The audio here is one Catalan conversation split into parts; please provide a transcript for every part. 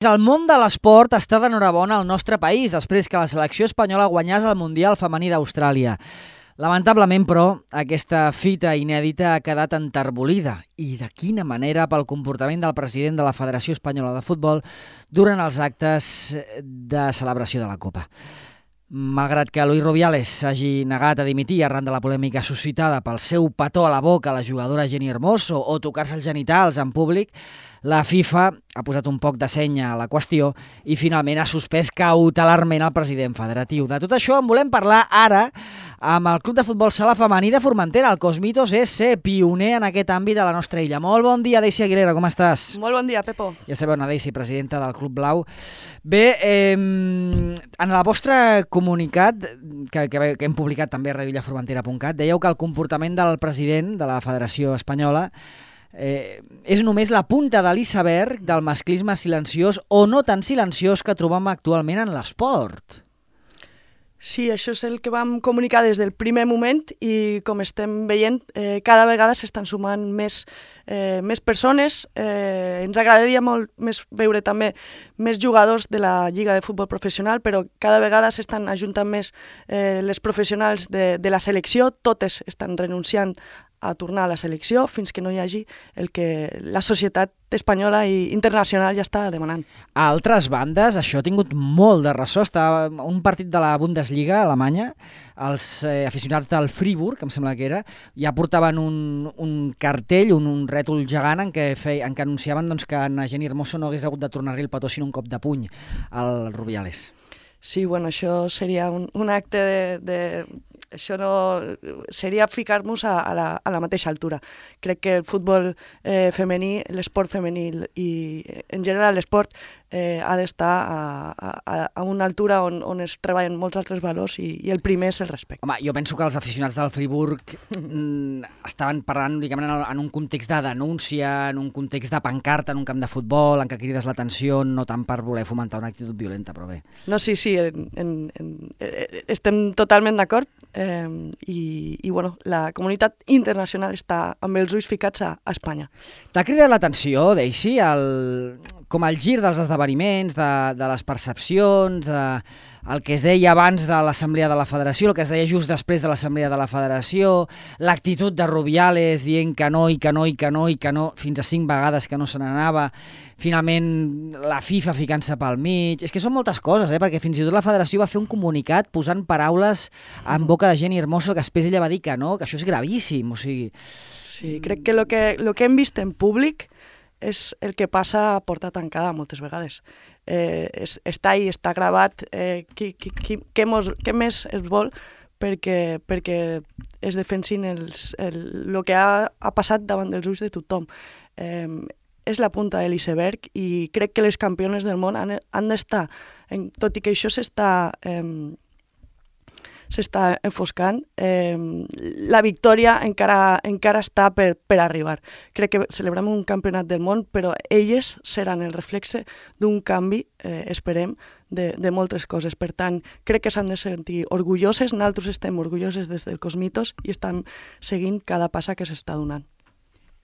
El món de l'esport està d'enhorabona al nostre país després que la selecció espanyola guanyés el Mundial Femení d'Austràlia. Lamentablement, però, aquesta fita inèdita ha quedat enterbolida. I de quina manera pel comportament del president de la Federació Espanyola de Futbol durant els actes de celebració de la Copa. Malgrat que Luis Rubiales s'hagi negat a dimitir arran de la polèmica suscitada pel seu petó a la boca a la jugadora Jenni Hermoso o tocar-se els genitals en públic, la FIFA ha posat un poc de senya a la qüestió i finalment ha suspès cautelarment el president federatiu. De tot això en volem parlar ara amb el Club de Futbol Sala Femení de Formentera. El Cosmitos és ser pioner en aquest àmbit a la nostra illa. Molt bon dia, Daisy Aguilera, com estàs? Molt bon dia, Pepo. Ja sabeu, una Daisy, presidenta del Club Blau. Bé, en el vostre comunicat, que hem publicat també a radioillaformentera.cat, dèieu que el comportament del president de la Federació Espanyola és només la punta de l'iceberg del masclisme silenciós o no tan silenciós que trobem actualment en l'esport. Sí, això és el que vam comunicar des del primer moment i com estem veient, cada vegada s'estan sumant més persones. Ens agradaria molt més veure també més jugadors de la Lliga de Futbol Professional, però cada vegada s'estan ajuntant més les professionals de la selecció. Totes estan renunciant a tornar a la selecció fins que no hi hagi el que la societat espanyola i internacional ja està demanant. A altres bandes, això ha tingut molt de ressò. Està un partit de la Bundesliga alemanya, els aficionats del Friburg, em sembla que era, ja portaven un cartell, un rètol gegant en què anunciaven que a Jenni Hermoso no hagués hagut de tornar-li el petó sinó un cop de puny al Rubiales. Sí, bueno, això seria un acte això no seria ficar-nos a la mateixa altura. Crec que el futbol femení, l'esport femení i en general l'esport ha d'estar a una altura on es treballen molts altres valors i el primer és el respecte. Home, jo penso que els aficionats del Friburg estaven parlant diguem, en un context de denúncia, en un context de pancarta en un camp de futbol, en què crides l'atenció, no tant per voler fomentar una actitud violenta, però bé. No, sí, estem totalment d'acord. I bueno, la comunitat internacional està amb els ulls ficats a Espanya. T'ha cridat l'atenció, Daisy, com el gir dels esdeveniments, de les percepcions, el que es deia abans de l'Assemblea de la Federació, el que es deia just després de l'Assemblea de la Federació, l'actitud de Rubiales dient que no, i que no, i que no, i que no, fins a 5 vegades que no se n'anava, finalment la FIFA ficant-se pel mig. És que són moltes coses, perquè fins i tot la Federació va fer un comunicat posant paraules en boca de Jenni Hermoso que després ella va dir que no, que això és gravíssim. O sigui... Sí, crec que el que hem vist en públic és el que passa a porta tancada moltes vegades. Està ahí, està gravat, què més es vol perquè es defensin el que ha passat davant dels ulls de tothom. És la punta de l'iceberg i crec que les campiones del món han d'estar, tot i que això s'està enfoscant, la victòria encara està per arribar. Crec que celebrem un campionat del món, però elles seran el reflexe d'un canvi, esperem, de moltes coses. Per tant, crec que s'han de sentir orgulloses, nosaltres estem orgulloses des del Cosmitos i estem seguint cada passa que s'està donant.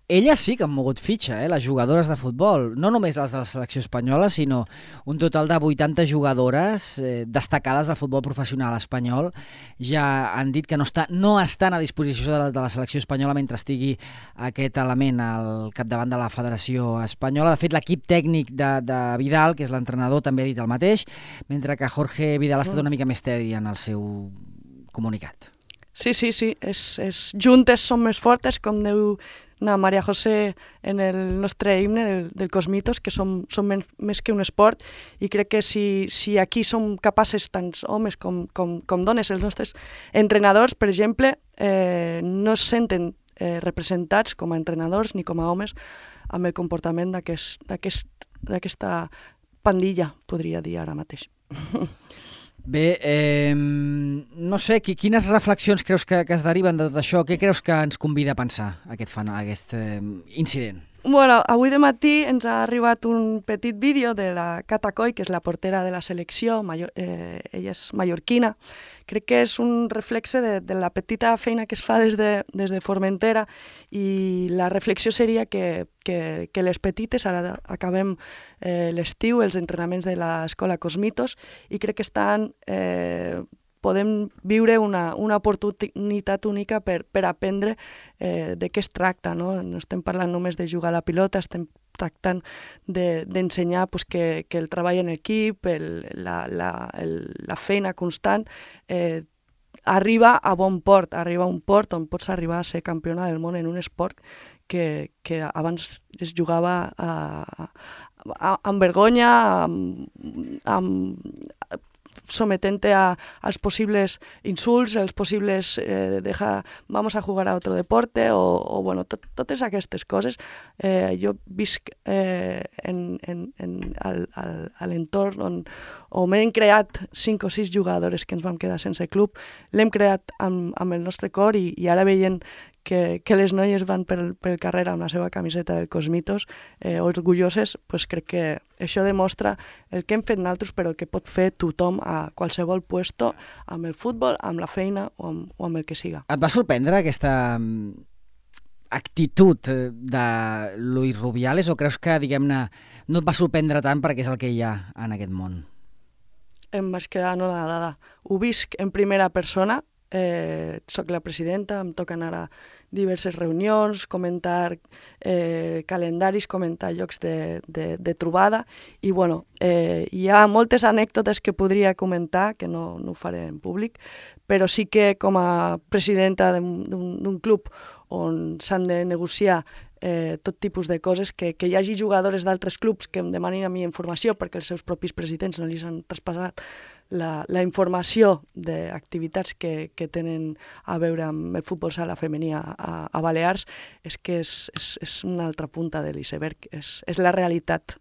Elles sí que han mogut fitxa, les jugadores de futbol, no només les de la selecció espanyola, sinó un total de 80 jugadores destacades del futbol professional espanyol. Ja han dit que no estan a disposició de la selecció espanyola mentre estigui aquest element al capdavant de la Federació Espanyola. De fet, l'equip tècnic de Vidal, que és l'entrenador, també ha dit el mateix, mentre que Jorge Vidal ha estat una mica més tedi en el seu comunicat. Sí, juntes som més fortes, com diu Maria José en el nostre himne del Cosmitos, que som més que un esport, i crec que si aquí som capaces, tant homes com dones, els nostres entrenadors, per exemple, no es senten representats com a entrenadors ni com a homes amb el comportament d'aquesta pandilla, podria dir ara mateix. Bé, no sé, quines reflexions creus que es deriven de tot això? Què creus que ens convida a pensar aquest incident? Bueno, avui de matí ens ha arribat un petit vídeo de la Cata Coll, que és la portera de la selecció, ella és mallorquina. Crec que és un reflexe de la petita feina que es fa des de Formentera, i la reflexió seria que les petites, ara acabem l'estiu, els entrenaments de l'escola Cosmitos, i crec que podem viure una oportunitat única per aprendre de què es tracta, no? No estem parlant només de jugar a la pilota, estem tractant d'ensenyar que el treball en equip, la feina constant, arriba a bon port, arriba a un port on pots arribar a ser campiona del món en un esport que abans es jugava amb vergonya, sometent-te als possibles insults, als possibles vamos a jugar a otro deporte, o bueno, totes aquestes coses. Jo visc a l'entorn on hem creat 5 o 6 jugadores que ens vam quedar sense club, l'hem creat amb el nostre cor, i ara veient que les noies van pel carrer amb la seva camiseta del Cosmitos, orgulloses, crec que això demostra el que hem fet nosaltres, però el que pot fer tothom a qualsevol puesto, amb el futbol, amb la feina o amb el que siga. Et va sorprendre aquesta actitud de Luis Rubiales, o creus que, diguem-ne, no et va sorprendre tant perquè és el que hi ha en aquest món? Em vaig quedar anonadada. Ho visc en primera persona. Soc la presidenta, em toca anar a diverses reunions, comentar calendaris, comentar llocs de trobada, i bueno, hi ha moltes anècdotes que podria comentar, que no ho faré en públic, però sí que com a presidenta d'un club on s'han de negociar tot tipus de coses, que hi hagi jugadores d'altres clubs que em demanin a mi informació perquè els seus propis presidents no li han traspassat la informació d'activitats que tenen a veure amb el futbol sala femení a Balears, és que és una altra punta de l'iceberg, és la realitat.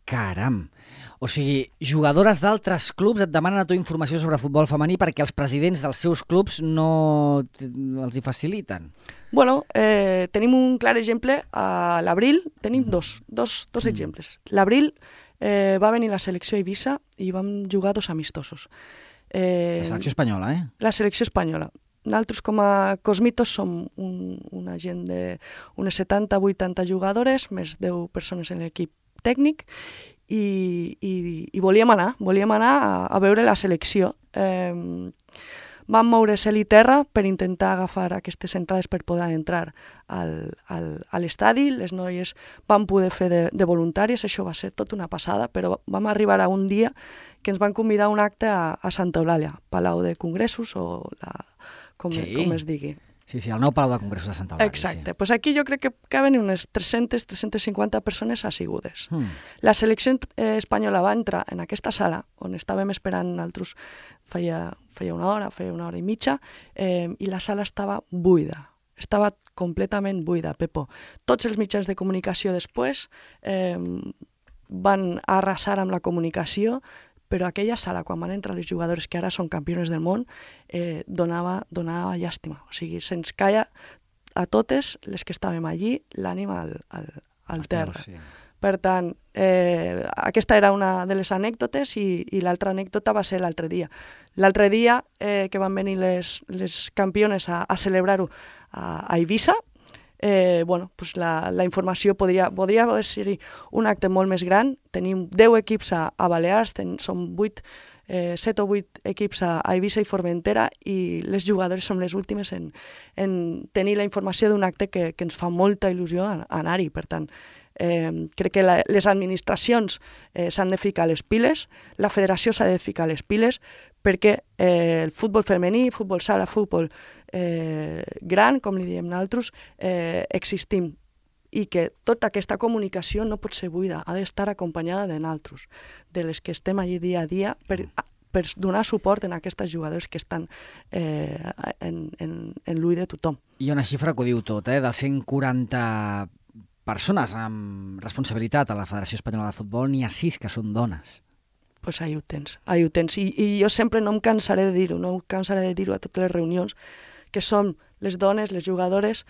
Caram! O sigui, jugadores d'altres clubs et demanen a tu informació sobre futbol femení perquè els presidents dels seus clubs no els hi faciliten. Bueno, tenim un clar exemple a l'abril, tenim dos exemples. L'abril va venir la selecció a Eivissa i vam jugar 2 amistosos. La selecció espanyola, eh? La selecció espanyola. Nosaltres, com a Cosmitos, som una gent d'unes 70-80 jugadores, més 10 persones en l'equip tècnic, i volíem anar a veure la selecció. Vam moure cel i terra per intentar agafar aquestes entrades per poder entrar a l'estadi. Les noies van poder fer de voluntàries, això va ser tot una passada, però vam arribar a un dia que ens van convidar a un acte a Santa Eulàlia, Palau de Congressos, o com es digui. Sí, el nou Palau de Congressos de Santa Eulàlia. Exacte. Pues aquí jo crec que caben unes 300-350 persones assigudes. La selecció espanyola va entrar en aquesta sala, on estàvem esperant nosaltres feia una hora i mitja, i la sala estava buida. Estava completament buida, Pepo. Tots els mitjans de comunicació després van arrasar amb la comunicació, però aquella sala, quan van entrar les jugadores que ara són campiones del món, donava llàstima. O sigui, se'ns caia a totes les que estàvem allí l'ànima al terra. Sí. Per tant, aquesta era una de les anècdotes, i l'altra anècdota va ser l'altre dia. L'altre dia que van venir les campiones a celebrar-ho a Eivissa, la informació podria ser un acte molt més gran. Tenim 10 equips a Balears, són 7 o 8 equips a Eivissa i Formentera, i les jugadores som les últimes en tenir la informació d'un acte que ens fa molta il·lusió anar-hi. Per tant, crec que les administracions s'han de ficar les piles, la federació s'ha de ficar les piles, perquè el futbol femení, futbol sala, futbol gran, com li diem nosaltres, existim, i que tota aquesta comunicació no pot ser buida, ha d'estar acompanyada de nosaltres, de les que estem allí dia a dia, per donar suport a aquestes jugadores que estan en l'ull de tothom. Hi ha una xifra que ho diu tot, de 140 persones amb responsabilitat a la Federació Espanyola de Futbol, n'hi ha 6 que són dones. Doncs ahí ho tens. I jo sempre no em cansaré de dir-ho, a totes les reunions, que són les dones, les jugadores,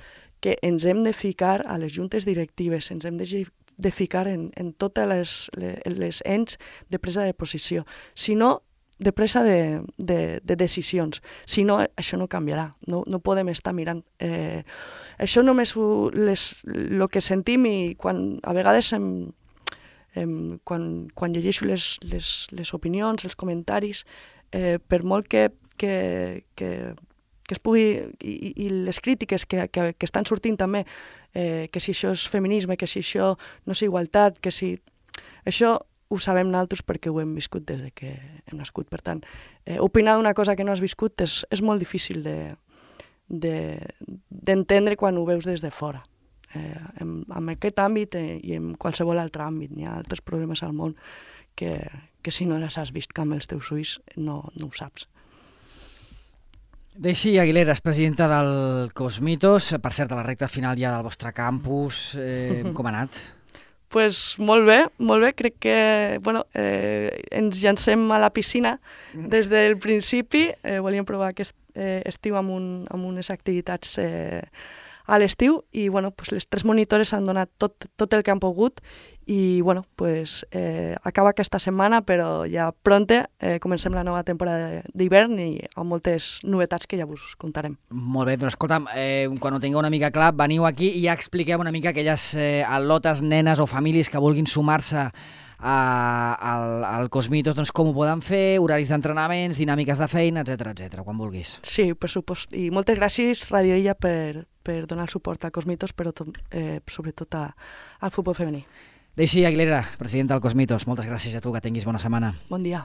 que ens hem de ficar a les juntes directives, ens hem de ficar en totes les ens de presa de posició. Si no, de presa de decisions. Si no, això no canviarà. No podem estar mirant. Això només el que sentim i quan a vegades quan llegeixo les opinions, els comentaris, per molt que es pugui, i les crítiques que estan sortint també, que si això és feminisme, que si això no és igualtat, que si... Això ho sabem nosaltres perquè ho hem viscut des que hem nascut. Per tant, opinar d'una cosa que no has viscut és molt difícil d'entendre quan ho veus des de fora. En aquest àmbit i en qualsevol altre àmbit. Hi ha altres problemes al món que si no les has vist amb els teus ulls no ho saps. Deixi Aguilera és presidenta del Cosmitos. Per cert, a la recta final ja del vostre campus, com ha anat? Pues molt bé. Crec que ens llancem a la piscina des del principi. Volíem provar aquest estiu amb unes activitats a l'estiu i les 3 monitores han donat tot el que han pogut i acaba aquesta setmana, però ja pronte comencem la nova temporada d'hivern i amb moltes novetats que ja us contarem. Molt bé, però escolta'm, quan ho tingueu una mica clar, veniu aquí i ja expliqueu una mica aquelles al·lotes, nenes o famílies que vulguin sumar-se al Cosmitos, doncs com ho poden fer, horaris d'entrenaments, dinàmiques de feina, etc, quan vulguis. Sí, per supost. I moltes gràcies, Radio Illa, per donar el suport al Cosmitos, però sobretot al futbol femení. Deixi Aguilera, presidenta del Cosmitos, moltes gràcies a tu, que tinguis bona setmana. Bon dia.